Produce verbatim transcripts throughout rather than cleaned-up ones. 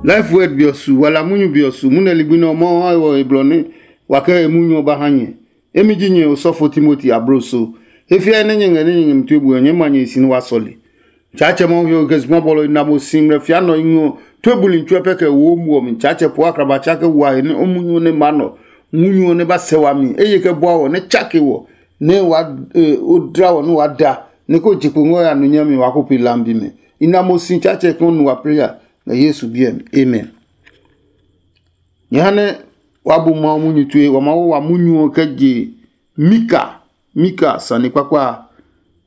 Life Word bi ɔ su, wala munyu bi ɔ su, munɛ ligbi nɛ ɔ Mawu ha wɔ he blɔ nɛ wa kɛ he munyu ɔ ba ha nyɛ. Emi ji nyɛ osɔfo Timoti abloso. He fiae nɛ nyɛ ngɛ nɛ nyɛ ngɛ mi tue bu ɔ, nyɛɛ ma nyɛ he si nɛ wa sɔle. Tsaatsɛ Mawu he ɔ kɛ zugba bɔlɔ i na mo si ngmlɛ fia nɔ i ngɔ tue buli tsuɛ pɛ kɛ wo mu ɔ mi. Tsaatsɛ po akraba tsa kɛ wa he nɛ o munyu ɔ nɛ ma nɔ, munyu ɔ nɛ ba sɛ wami, eye kɛ bua wɔ nɛ tsake wɔ nɛ wa o dla wɔ nɛ wa da nɛ ko je kpo ngɔ ya nu nyami wa ko pe lambi mɛ. I na mo si Tsaatsɛ kɛ o nu wa prayer ngɛ Yesu biɛ mi. Amen. Nyɛ ha nɛ wa bu Mawu munyu tue, wa ma wo wa munyu ɔ kɛ je Mika, Mika sane kpakpa a,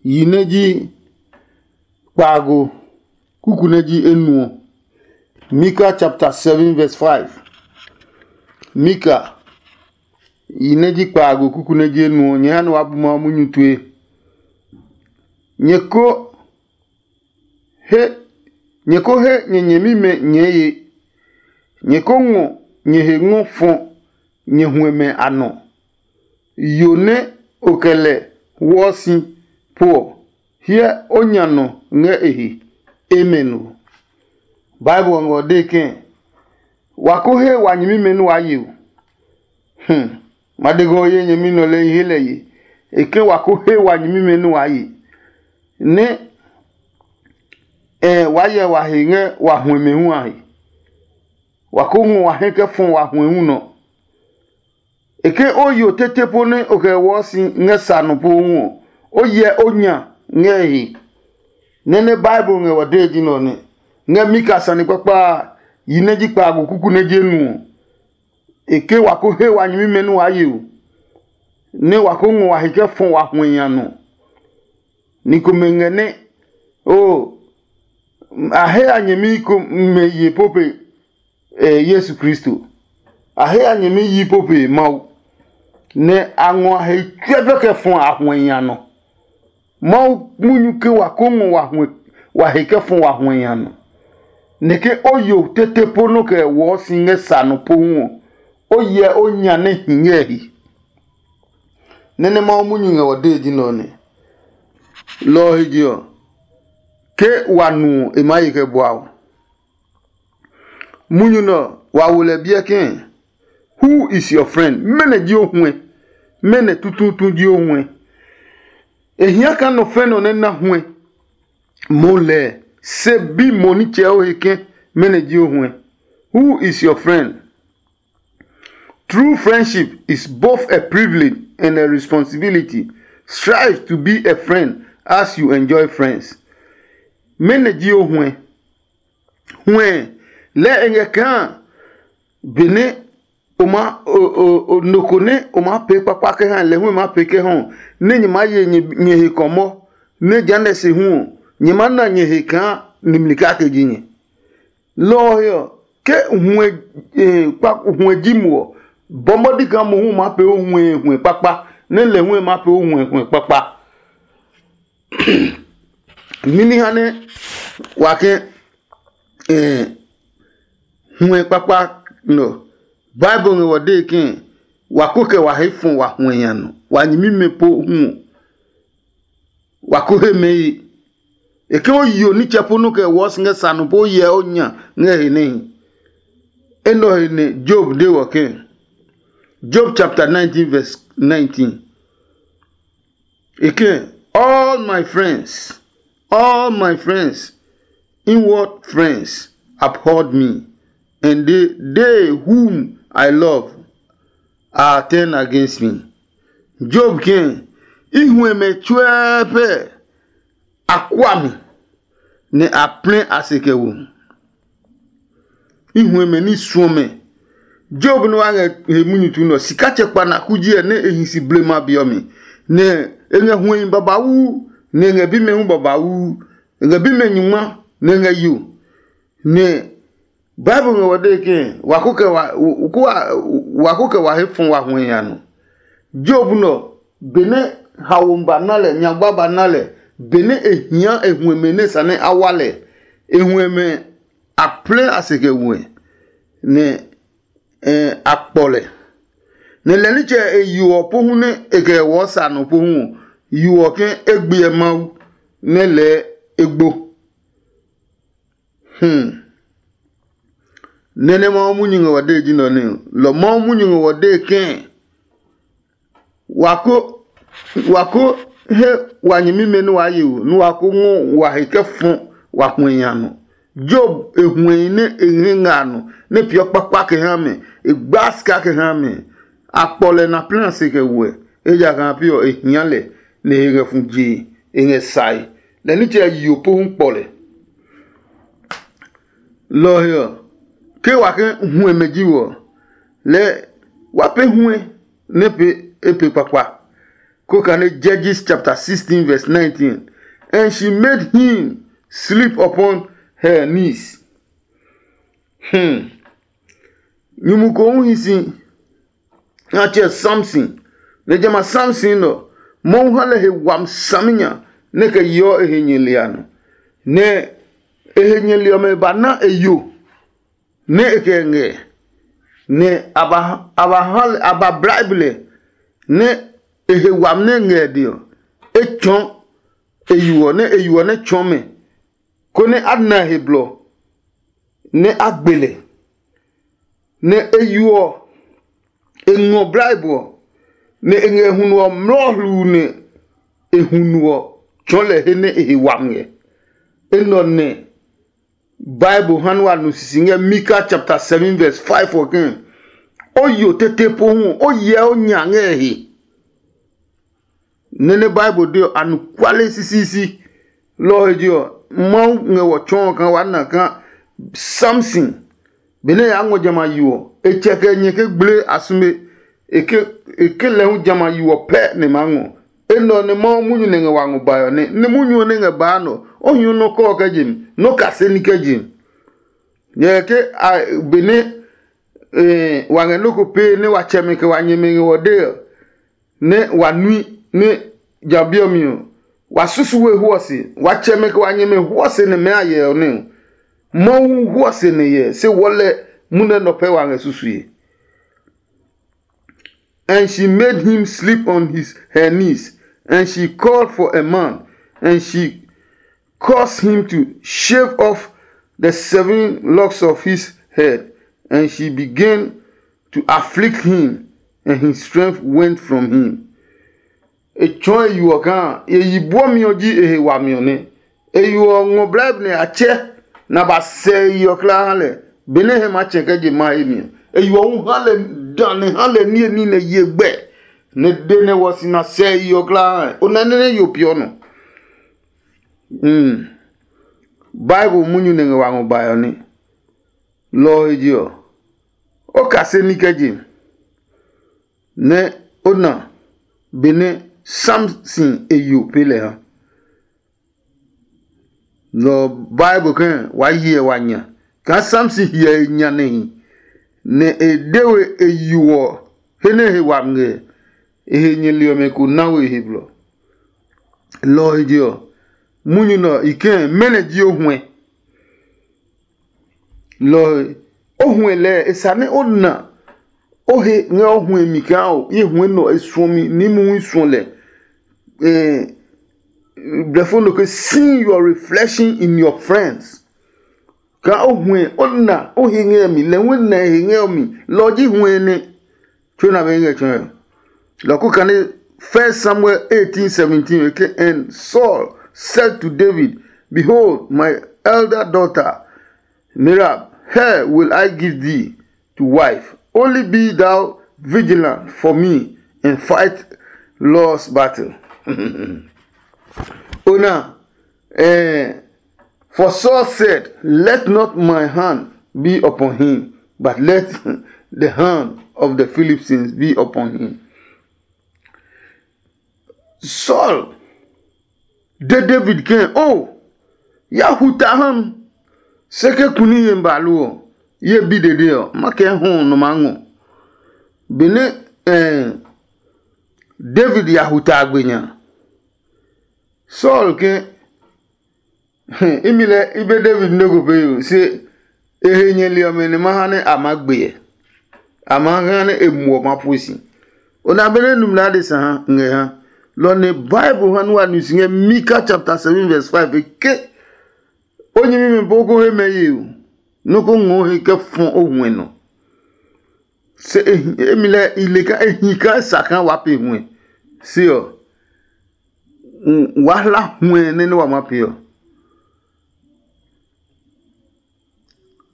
yi nɛ ji kpaago kuku nɛ ji enuɔ. Mika chapter seven verse five. Mika yi nɛ ji kpaago kuku nɛ ji enuɔ, nyɛ ha nɛ wa bu Mawu munyu tue. Nyɛ ko he nyɛ ko he nyɛ nyɛmimɛ nyɛɛ ye. Nyɛ ko ngɔ nyɛ he ngɔ fɔ nyɛ huɛmɛ a nɔ. Yo nɛ o kɛ lɛ wɔɔ si po ɔ, hyɛ o nya nɔ ngɛ e he. Amen o. Bible ɔ ngɛ ɔ dee kɛ̃, wa ko he wa nyɛmimɛ nɛ waa ye o. Hmm. Ma de ngɔ ye nyɛmi nɔ lɛ i he lɛ ye. E ke wa ko he wa nyɛmimɛ nɛ waa ye, nɛ ɛ waa yɛ wa he ngɛ wa huɛmɛ hu a he. Wa ko ngɔ wa hɛ kɛ fɔ wa huɛ hu nɔ. E ke o yo tete po nɛ o kɛ wɔɔ si ngɛ sa nɔ po hu ɔ, o hyɛ o nya ngɛ e he. Nɛ nɛ Bible ngɛ wa dee ji nɛ ɔ nɛ. Ngɛ Mika sane kpakpa a, yi nɛ ji kpaago kuku nɛ je nu ɔ, e ke wa ko he wa nyɛmimɛ nɛ waa ye o, nɛ wa ko ngɔ wa he kɛ fɔ wa huɛ nya nɔ. Ni komɛ ngɛ nɛ, oo, a he a nyɛmi komɛ ye po pe Yesu Kristo. A he a nyɛmi yi po pe Mawu, nɛ a ngɔ a he tsuɛfɛ kɛ fɔ a huɛ nya nɔ. Mawu munyu ke wa ko ngɔ wa he kɛ fɔ wa huɛ nya nɔ. Nɛ ke o yo tete po nɔ kɛ wɔɔ si ngɛ sa nɔ pohu ɔ, o hyɛ o nya nɛ hi ngɛ he. Nɛ nɛ Mawu munyu ngɛ wɔ dee ji nɛ ɔ nɛ. Lɔ ɔ he je ɔ, ke wa nu ɔ, e maa ye kɛ bua o. Munyu nɛ ɔ, wa wo lɛ biɛ kɛ̃. Who is your friend? Mɛnɔ ji o huɛ? Mɛnɔ tutuutu ji o huɛ? E hia kaa nɔ fɛ nɔ nɛ na huɛ mo lɛɛ, se bi mo nitsɛ o he kɛ̃. Mɛnɔ ji o huɛ? Who is your friend? True friendship is both a privilege and a responsibility. Strive to be a friend as you enjoy friends. Mɛnɔ ji o huɛ? Huɛ lɛ e ngɛ kaa benɛ o ma nɔ ko nɛ o maa pee kpakpa kɛ ha lɛ hu e maa pee kɛ hɔ, nɛ nyɛ maa ye nyɛ he kɔmɔ, nɛ jehanɛ se hu ɔ, nyɛ maa na nyɛ he kaa nimli kake ji nyɛ. Lɔ ɔ he ɔ, ke huɛ ji mo ɔ, bɔmɔdi kaa mohu maa pee o huɛ huɛ kpakpa, nɛ lɛ hu e maa pee o huɛ huɛ kpakpa. Mimi ha nɛ wa kɛ huɛ kpakpa nɔ? Bible ngɛ wɔ dee ke wa ko kɛ wa he fɔ wa huɛ nya nɔ, wa nyɛmimɛ po hu ɔ, wa ko he mɛ ye. E ke o yo nitsɛ po nɔ kɛ wɔɔ si ngɛ sa nɔ po o hyɛ o nya ngɛ he nɛhi. Enɛ ɔ he nɛ Job de wɔ ke, Job chapter nineteen verse nineteen. E ke, all my friends, all my friends, inward friends, abhorred me, and they, they whom I love are turned against me. Job ke, i huɛmɛ tsuɛɛ pɛ a kua mi, nɛ a plɛ a se kɛ wo. I huɛmɛ ní suɔ mɛ. Job nɛ wa ngɛ he munyu tu nɛ ɔ, sika tsɛ kpa na kuji ɛ nɛ e hi si blema be ɔ mi, nɛ e ngɛ huɛhi babauu, nɛ e ngɛ bimɛ hu babauu, e ngɛ bimɛ nyungma, nɛ e ngɛ yo. Nɛ Bible ngɛ wɔ dee ke wa ko kɛ wa wa ko kɛ wa he fɔ wa huɛ ya nɔ. Job nɔ, benɛ hawo ba na lɛ, nyagba ba na lɛ, benɛ e hia e huɛmɛ nɛ sane a wa lɛ, e huɛmɛ a plɛ a se kɛ wɛ, nɛ a kpɔ lɛ. Nɛ lɛ nitsɛ e yo ɔ pohu nɛ e kɛ wɔɔ sa nɔ pohu ɔ, yo ɔ ke e gbiɛ Mawu nɛ lɛɛ e gbo. Hmm. Nɛ nɛ Mawu munyu ngɛ wa dee ji nɔ nɛ lɔ Mawu munyu ngɛ wa dee kɛɛ, wa ko wa ko he wa nyɛmimɛ nɛ waa ye o, nɛ wa ko ngɔ wa he kɛ fɔ wa huɛ nya nɔ. Job e huɛhi nɛ e ngɛ nga a nɔ, nɛ peeɔ kpakpa kɛ ha mɛ, e gbaa sika kɛ ha mɛ. A kpɔ lɛ na plɛ se kɛ wɛ, ejakaa a pe ɔ e hia lɛ, nɛ e he ngɛ fu jee, e ngɛ sae, lɛ nitsɛ yo pohu kpɔ lɛ. Lɔ ɔ he ɔ, ke wa ke huɛmɛ ji we ɔ, lɛɛ wa pee huɛ nɛ pee e pee kpakpa. Ko kane Judges chapter sixteen verse nineteen, and she made him sleep upon her knees. Hmm. Nyumu ko hu hi si, a tsɛ Samson, nɛ jamɛ a Samson nɔ, Mawu ha lɛ he wami saminya nɛ kɛ yeɔ e he nyɛli a nɔ, nɛ e he nyɛli ɔmɛ ba na e yo nɛ e kɛ ngɛ, nɛ a ba a ba ha lɛ a ba bribe lɛ nɛ e he wami nɛ ngɛ e dɛ ɔ, e tsɔɔ e yo ɔ nɛ e yo ɔ nɛ tsɔɔ mɛ, konɛ a na e he blɔ nɛ a gbe lɛ. Nɛ e yo ɔ, e ngɔ bribe ɔ, nɛ e ngɛ hunu ɔ mlɔɔ hluu nɛ e hunu ɔ tsɔɔ lɛ he nɛ e he wami ngɛ. Enɛ ɔ nɛ Bible ha nɛ wa nu sisi ngɛ Mika chapter seven verse five ɔ ke, o yo tete pohu ɔ, o hyɛ o nya ngɛ e he. Nɛ nɛ Bible de ɔ, anɔkuale sisiisi. Lɔ ɔ he je ɔ, Mawu ngɛ wɔ tsɔɔ kaa waa na kaa Samson, benɛ e yaa ngɔ jamɛ a yo ɔ, e tsɛ kɛ nyɛ ke gble a sume, e ke e ke lɛ hu jamɛ a yo ɔ pɛ nɛ e maa ngɔ. Enɛ ɔ nɛ Mawu munyu nɛ ngɛ wa ngɔ bae ɔ nɛ, nɛ munyu ɔ nɛ ngɛ baa nɛ ɔ, o hi nɔ́ kɔɔ kɛ je mi, nɔ́ kase ní kɛ je mi. Nyɛ ke a benɛ wa ngɛ nɔ́ ko pee nɛ wa tsɛmɛ kɛ wa nyɛmɛ ngɛ wɔ dee ɔ, nɛ wa nui nɛ ja bi ɔ mi ɔ, wa susu we hwɔ se. Wa tsɛmɛ kɛ wa nyɛmɛ hwɔ se nɛ mɛɛ a hyɛ ɔ nɛ ɔ, Mawu hu hwɔ se nɛ hyɛ, se wɔlɛ munɛ nɔ pɛ wa ngɛ susue. And she made him sleep on his her knees, and she called for a man, and she caused him to shave off the seven locks of his head, and she began to afflict him, and his strength went from him. E tsɔɔ e yo ɔ kaa e yi buɔmi ɔ ji e he wami ɔ nɛ. E yo ɔ ngɔ blɛɛ nɛ a tsɛ, nɛ a ba sɛ e yi ɔ kulaa ha lɛ. Benɛ e hɛ maa tsɛ kɛ je ma he mi ɔ, e yo ɔ hu ha lɛ da nɛ ha lɛ niye ní nɛ ye gbɛ, nɛ de nɛ wɔ si na sɛ e yi ɔ kulaa ha. O nɛ nɛ nɛ yo piɔ nɔ. Bible munyu nɛ ngɛ wa ngɔ bae ɔ ní. Lɔ ɔ he je ɔ, o kase ní kɛ je, nɛ o na benɛ Samson e yo pee lɛ ha. Lɔ ɔ Bible kɛ̃ waa hyɛ wa nya kaa Samson hyɛ e nya nɛ hi, nɛ e de we e yo ɔ he nɛ he wami ngɛ, e he nyɛli ɔmɛ ko na we e he blɔ. Lɔ ɔ he je ɔ, munyu nɛ ɔ i kɛ̃ mɛnɔ ji o huɛ? Lɔ ɔ he, o huɛ lɛɛ e sa nɛ o na o he ngɛ o huɛ mi kaa o ye huɛ nɔ e suɔ mi ní mumi suɔ lɛ. Blɛfo nɔ ke seeing your reflection in your friends. Kaa o huɛ o na o he ngɛ mi lɛ hu na he ngɛ mi, lɔ ji huɛ nɛ. Tso na be ngɛ tsɔɛ. Lɔ ko kane First Samuel eighteen seventeen, okay? And Saul said to David, "Behold, my elder daughter Merab, her will I give thee to wife. Only be thou vigilant for me and fight Lord's battle." Ona, eh, for Saul said, "Let not my hand be upon him, but let the hand of the Philistines be upon him." Saul de David ke, "O, ya hu ta ha mi, se ke kuni ye ba lo ɔ, ye bi dede ɔ, ma kɛ hɔ nɔ ma ngɔ." Benɛ eh, David ya hu ta gbe nya, Saul ke, "Imi lɛ i be David nɛ ko pee yo, se e he nyɛli ɔmɛ nɛ ma ha nɛ a maa gbe ɛ, a maa ha nɛ e muɔ ma pue si." O na be nɛ numla adesa ha ngɛ ha. Lɔ nɛ Bible ha nu wa nu si ngɛ Mika chapter seven verse five, e ke, "O nyɛmimɛ po ko he mɛ ye o, Nɔ́ ko ngɔɔ he kɛ fɔ o huɛ nɔ. Se emi lɛ i le kaa e hi kaa e sa kaa waa pe huɛ. Se ɔ, waa hla huɛ nɛ nɛ wa ma pe ɔ.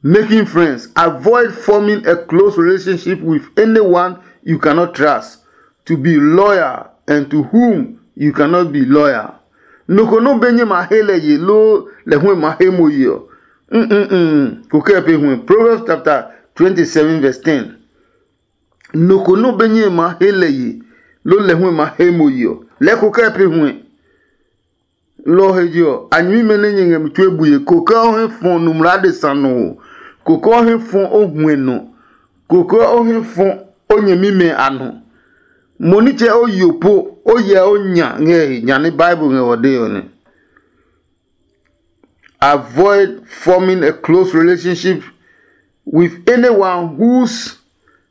Making friends. Avoid forming a close relationship with anyone you cannot trust to be loyal and to whom you cannot be loyal. Nɔ ko nɔ be nyɛ ma he lɛ ye loo lɛ hu ma he mo ye ɔ, mm ko kɛ pe hu. Proverbs chapter twenty-seven verse ten. Nɔ ko nɔ be nyɛ ma he lɛ ye loo lɛ hu ma he mo ye ɔ, lɛ ko kɛ pe hu. Lɔ ɔ he je ɔ, a nyɛmimɛ nɛ nyɛ ngɛ mi tue bue, koko ɔ hɛ fɔ numla adesa nɔ ɔ, koko ɔ hɛ fɔ o huɛ nɔ, koko ɔ hɛ fɔ o nyɛmimɛ a nɔ. Mo nitsɛ o yo po, o yɛ o nya ngɛ he nya nɛ Bible ngɛ ɔ de ɔ nɛ. Avoid forming a close relationship with anyone whose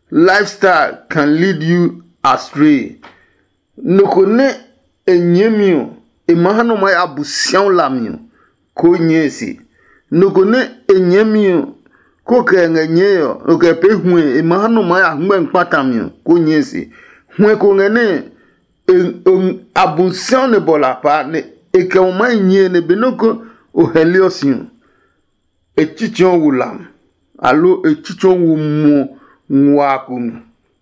lifestyle can lead you astray. Nɔ ko nɛ e nyɛɛmi ɔ, e ma ha nɔ maa ya bu siauu lami ɔ, koo nyɛɛ e se. Nɔ ko nɛ e nyɛɛmi ɔ, koo kɛ e ngɛ nyɛɛe ɔ, nɔ kɛ pee huɛ e ma ha nɔ maa ya hɛngmɛ kpata mi ɔ, koo nyɛɛ e se. Huɛ ko ngɛ nɛ e, o, a bu siauu nɛ bɔ la paa, nɛ e kɛ mo maa nyɛɛ nɛ benɛ ko o hɛliɔ si ɔ, e tsitsɛɔ wo lam, aloo e tsitsɛɔ wo muɔ nguaa ko mi.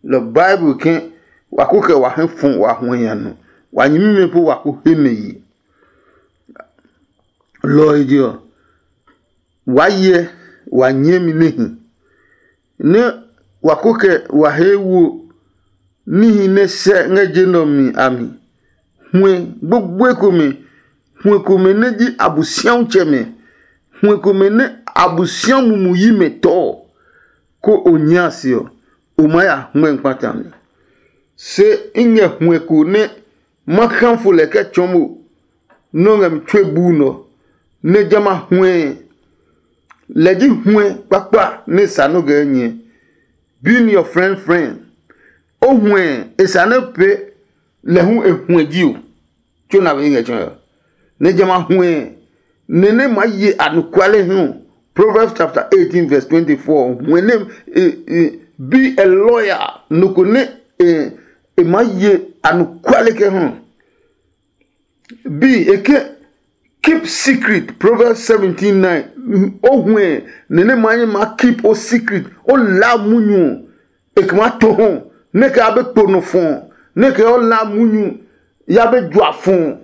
Lɔ Bible ke wa ko kɛ wa hɛ fɔ wa huɛ nya nɔ, wa nyɛmimɛ po wa ko he mɛ ye. Lɔ ɔ he je ɔ, wa hyɛ wa nyɛmi nɛ hi, nɛ wa ko kɛ wa he wo níhi nɛ sɛ ngɛ je nɛ ɔ mi a mi. Huɛ gbogboe komɛ, huɛ komɛ nɛ ji Abosiatsɛmɛ, huɛ komɛ nɛ Abosiamu mu yi mɛ tɔɔ, ko o nyia se ɔ, o maa ya hmɛ kpata mi. Se i ngɛ huɛ ko nɛ ma kã fo lɛ kɛ tsɔɔ mo nɔ́ ngɛ mi tue buu nɔ, nɛ jamɛ a huɛ lɛ ji huɛ kpakpa nɛ sa nɔ́ ngɛ nyɛ. Being your friend friend. O huɛ e sa nɛ pee lɛ hu e huɛ ji o. Tso na be ngɛ tsɔɔ ɔ, nɛ jamɛ a huɛ nɛ nɛ maa ye anɔkuale hu. Proverbs chapter eighteen verse twenty-four, huɛ nɛ e, e, be a lawyer, nɔ ko nɛ e, e maa ye anɔkuale kɛ hu. Bi e ke keep secret. Proverbs seventeen nine. O huɛ nɛ nɛ maa nyɛ maa keep o secret, o laa munyu ɔ, e kɛ maa to hɔ nɛ kɛ ya be kpo nɔ fɔ, nɛ kɛ o laa munyu ya be jua fɔ,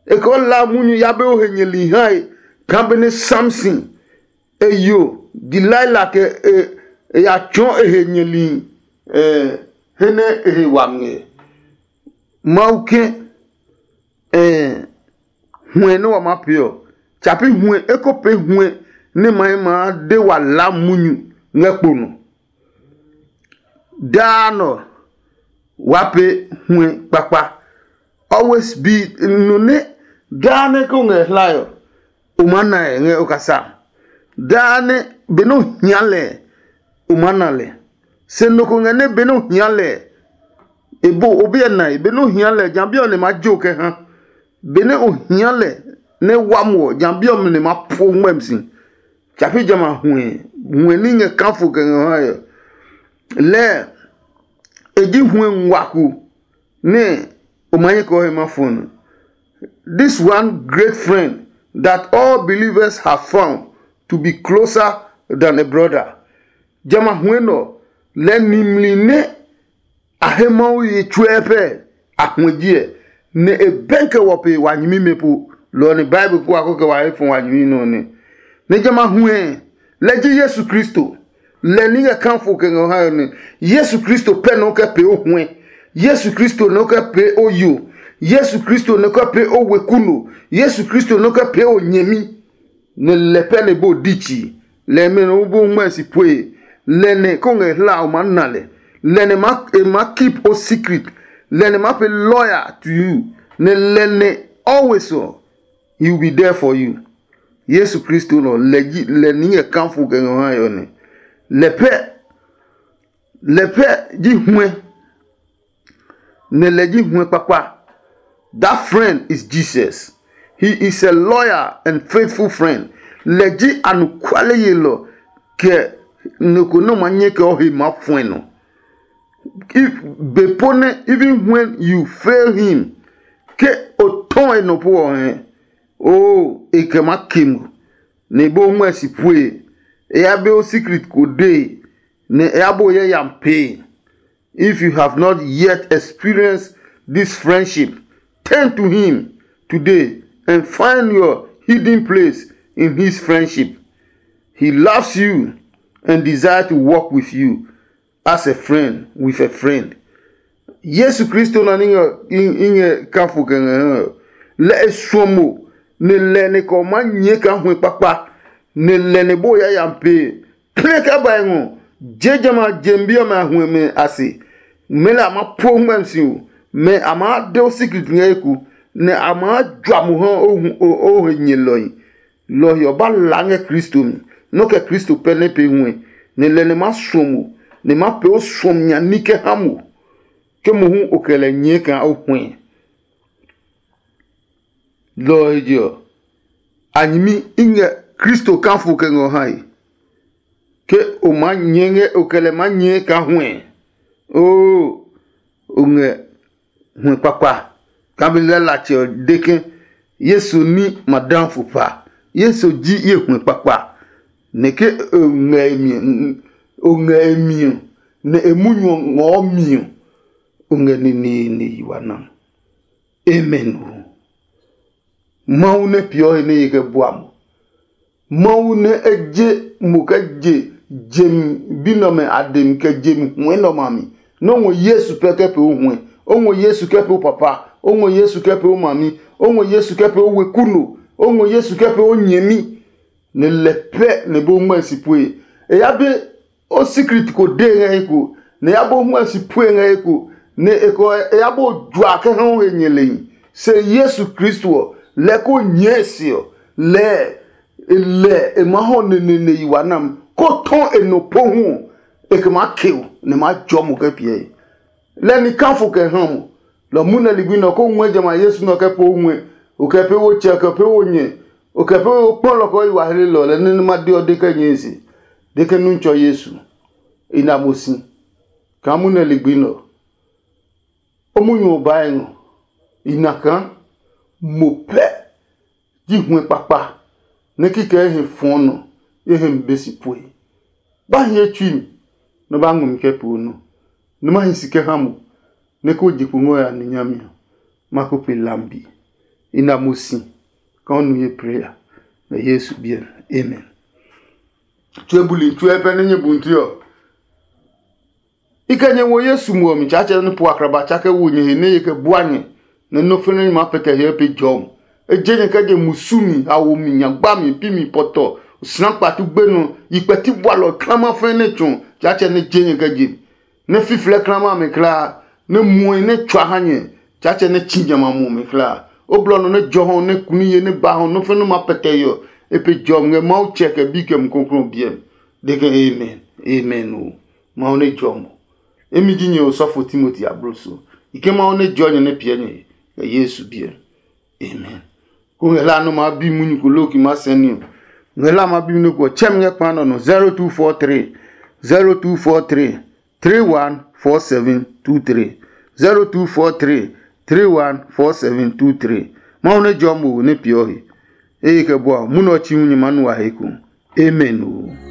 e kɛ o laa munyu ya be o he nyɛli hae. Kaa benɛ Samson e yo Delilah kɛ e, e ya tsɔɔ e he nyɛli, he nɛ e he wami ɛ. Mawu ke huɛ nɛ wa maa pee ɔ, tsapi huɛ eko pee huɛ nɛ ma maa de wa laa munyu ngɛ kpo nɔ. Daa nɔ wa pee huɛ kpakpa. Always be, nɔ nɛ daa nɛ ko ngɛ hlae ɔ, o maa na ɛ ngɛ o kasa. Daa nɛ benɛ o hia lɛ, o maa na lɛ. Se nɔ ko ngɛ nɛ benɛ o hia lɛ, e bo o biɛ nae, benɛ o hia lɛ, ja bi ɔ nɛ ma jo kɛ ha. Benɛ o hia lɛ nɛ wa muɔ, ja bi ɔ nɛ ma po ngmɛmi si. Tsapi jamɛ a huɛ, huɛ ní ngɛ kafo kɛ ngɛ ha ɛ. Lɛɛ e ji huɛ ngua ko nɛ o ma nyɛ kɛ o he ma fɔ nɔ. This one great friend that all believers have found to be closer than a brother. Jamɛ a huɛ nɔ lɛ nimli nɛ a he Mawu ye tsuɛ pɛ a huɛ jiɛ, nɛ e bɛnkɛ wɔ pe wa nyɛmimɛ po. Lɔ ɔ nɛ Bible kuwa ko kɛ wa he fɔ wa nyɛmi nɔ nɛ. Nɛ jamɛ a huɛ lɛ ji Yesu Kristo. Lɛ ní ngɛ kafo kɛ ngɛ ha nɛ Yesu Kristo pɛ nɔ kɛ pee o huɛ. Yesu Kristo nɔ kɛ pee o yo. Yesu Kristo nɔ kɛ pee o weku no. Yesu Kristo nɔ kɛ pee o nyɛmi. Nɛ lɛ pɛ nɛ bo di tsi. Lɛ mɛ nɔ bo ngmɛ si pue. Lɛ nɛ ko ngɛ hla o ma na lɛ. Lɛ nɛ ma e ma keep o secret. Lɛ nɛ ma pe lawyer to you. Nɛ lɛ nɛ always ɔ, he will be there for you. Yesu Kristo nɔ lɛ ji lɛ ní ngɛ kafo kɛ ngɛ ha yɔ nɛ. Lɛ pɛ lɛ pɛ ji huɛ. Nɛ lɛ ji huɛ kpakpa. That friend is Jesus. He is a loyal and faithful friend. Lɛ ji anɔkuale yelɔ kɛ nɔ ko nɛ ma nyɛ kɛ o he ma fuɛ nɔ. If be po nɛ, even when you fail him, ke o tɔ e nɔ po ɔ hɛ, o e kɛ ma ke mo, nɛ e bo ngmɛ si pue. E ya be o secret ko dee, nɛ e ya bo yɛ yam pee. If you have not yet experienced this friendship, turn to him today and find your hidden place in his friendship. He loves you and desire to walk with you as a friend with a friend. Yesu Kristo na ni ngɛ i ngɛ kafo kɛ ngɛ hɛ. Lɛ e suɔ mo, ne lɛ ne kɔ ma nyɛ ka hu kpakpa, ne lɛ ne bo ya ya pe. Plɛ ka ba ngɔ, je jama jem bi ɔmɛ a hu mɛ a se. Mɛ la ma po ngmɛm si o, mɛ a ma de o secret ngɛ eku, ne a ma jua mo ha o hu o o he nyɛ lɔi. Lɔ ɔ ba la ngɛ Kristo mi. Nɔ kɛ Kristo pɛ nɛ pe huɛ, nɛ lɛ nɛ ma suɔ mo, nɛ ma pee o suɔmi nya ní kɛ ha mo, ke mohu o kɛ lɛ nyɛɛ kaa o huɛ. Lɔ ɔ he je ɔ, a nyɛmi i ngɛ Kristo kafo kɛ ngɛ o hae, ke o maa nyɛɛ ngɛ o kɛ lɛ maa nyɛɛ kaa huɛ. Oo, o ngɛ huɛ kpakpa. Kami lɛ latsɛ ɔ de ke Yesu ní ma da fu pa. Yesu ji ye huɛ kpakpa. Nɛ ke o ngɛ e mi o ngɛ e mi ɔ, nɛ e munyu ɔ ngɔɔ mi ɔ, o ngɛ neneene yi wa na. Amen o. Mawu nɛ peeɔ he nɛ ye kɛ bua mo. Mawu nɛ e je mo kɛ je jem bi nɛ ɔmɛ a demi kɛ jem huɛ nɛ ɔmɛ a mi. Nɛ o ngɔ Yesu pɛ kɛ pee o huɛ, o ngɔ Yesu kɛ pee o papa, o ngɔ Yesu kɛ pee o mami, o ngɔ Yesu kɛ pee o weku no, o ngɔ Yesu kɛ pee o nyɛmi, nɛ lɛ pɛ nɛ bo ngmɛ si pue. E ya be o sikrit ko de ngɛ he ko, nɛ e ya bo huɛ si pue ngɛ he ko, nɛ e kɔ e ya bo jua kɛ ha o he nyɛlɛhi. Se Yesu Kristo ɔ, lɛ ko nyɛɛ se ɔ, lɛɛ e lɛ e maa hɔ neneene yi wa nam, ko tɔ e nɔ po hu ɔ, e kɛ maa ke o, nɛ e maa jɔ mo kɛ piɛ he. Lɛ ni kafo kɛ ha mo, lɔ mu nɛ ligbi nɛ ɔ ko ngɔɛ jamɛ a Yesu nɛ ɔ kɛ pee o ngɔɛ, o kɛ pee wo tsɛ, o kɛ pee wo nyɛ, o kɛ pee wo kpɔ lɔ kɛ o yi wa hlelɔ lɛ nɛ nɛ ma de ɔ de kɛ nyɛe se. De ke nu tsɔ Yesu, i na mo si kaa mu nɛ ligbi nɛ ɔ. O munyu ɔ baa e ngɔ, i na kaa mo pɛ ji huɛ kpakpa nɛ kikɛ e he fɔɔ nɔ, e he mi be si pue. Ba hi ye tsui mi, nɛ o ba ngɔ mi kɛ pee o nɔ, nɛ ma hi si kɛ ha mo, nɛ ko je kpo ngɔ ya ni nyami ɔ, ma ko pe lambi. I na mo si kaa o nu ye prayer ngɛ Yesu biɛ mi. Amen. Tue buli tue pɛ nɛ nyɛ bunti ɔ, i kɛ nyɛ wo Yesu muɔ mi Tsaatsɛ nɛ po akraba tsa kɛ wo nyɛ he nɛ ye kɛ bua nyɛ, nɛ nɔ́ fɛnɛ nyɛ maa pɛtɛ hyɛ pe jɔm. E je nyɛ kɛ je musu mi, hawo mi, nyagba mi, pi mi, pɔtɔ, osina kpatu gbenɔ, yi kpɛti bualɔ klama fɛnɛ nɛ tsɔ Tsaatsɛ nɛ je nyɛ kɛ je. Nɛ fiflɛ klama mi klaa, nɛ muɔe nɛ tsua ha nyɛ, Tsaatsɛ nɛ tsi jamɛ a muɔ mi klaa. O blɔ nɔ nɛ jɔ hɔ nɛ kuni ye nɛ ba hɔ nɔ́ fɛnɛ ma pɛtɛ yɔ, e pe jɔmi ngɛ Mawu tsɛ kɛ bi kɛ Mumi Klɔuklɔu biɛ mi. De ke amen, amen o. Mawu nɛ jɔ mo. Emi ji nyɛ osɔfo Timoti abloso. I ke Mawu nɛ jɔ nyɛ nɛ piɛ nyɛ he, kɛ Yesu biɛ mi. Amen. Ko ngɛ la nɔ ma bi munyu ko lo ki ma sɛ ni o. Ngɛ la ma bi munyu ko chɛ mi ngɛ kpa nɔ nɔ zero two four three, zero two four three, three one four seven two three, zero two four three, three one four seven two three. Mawu nɛ jɔ mo wo nɛ piɔ he. Eye kɛ bua mu nɔ chi hu nyɛ ma nu wa he ko. Amen o.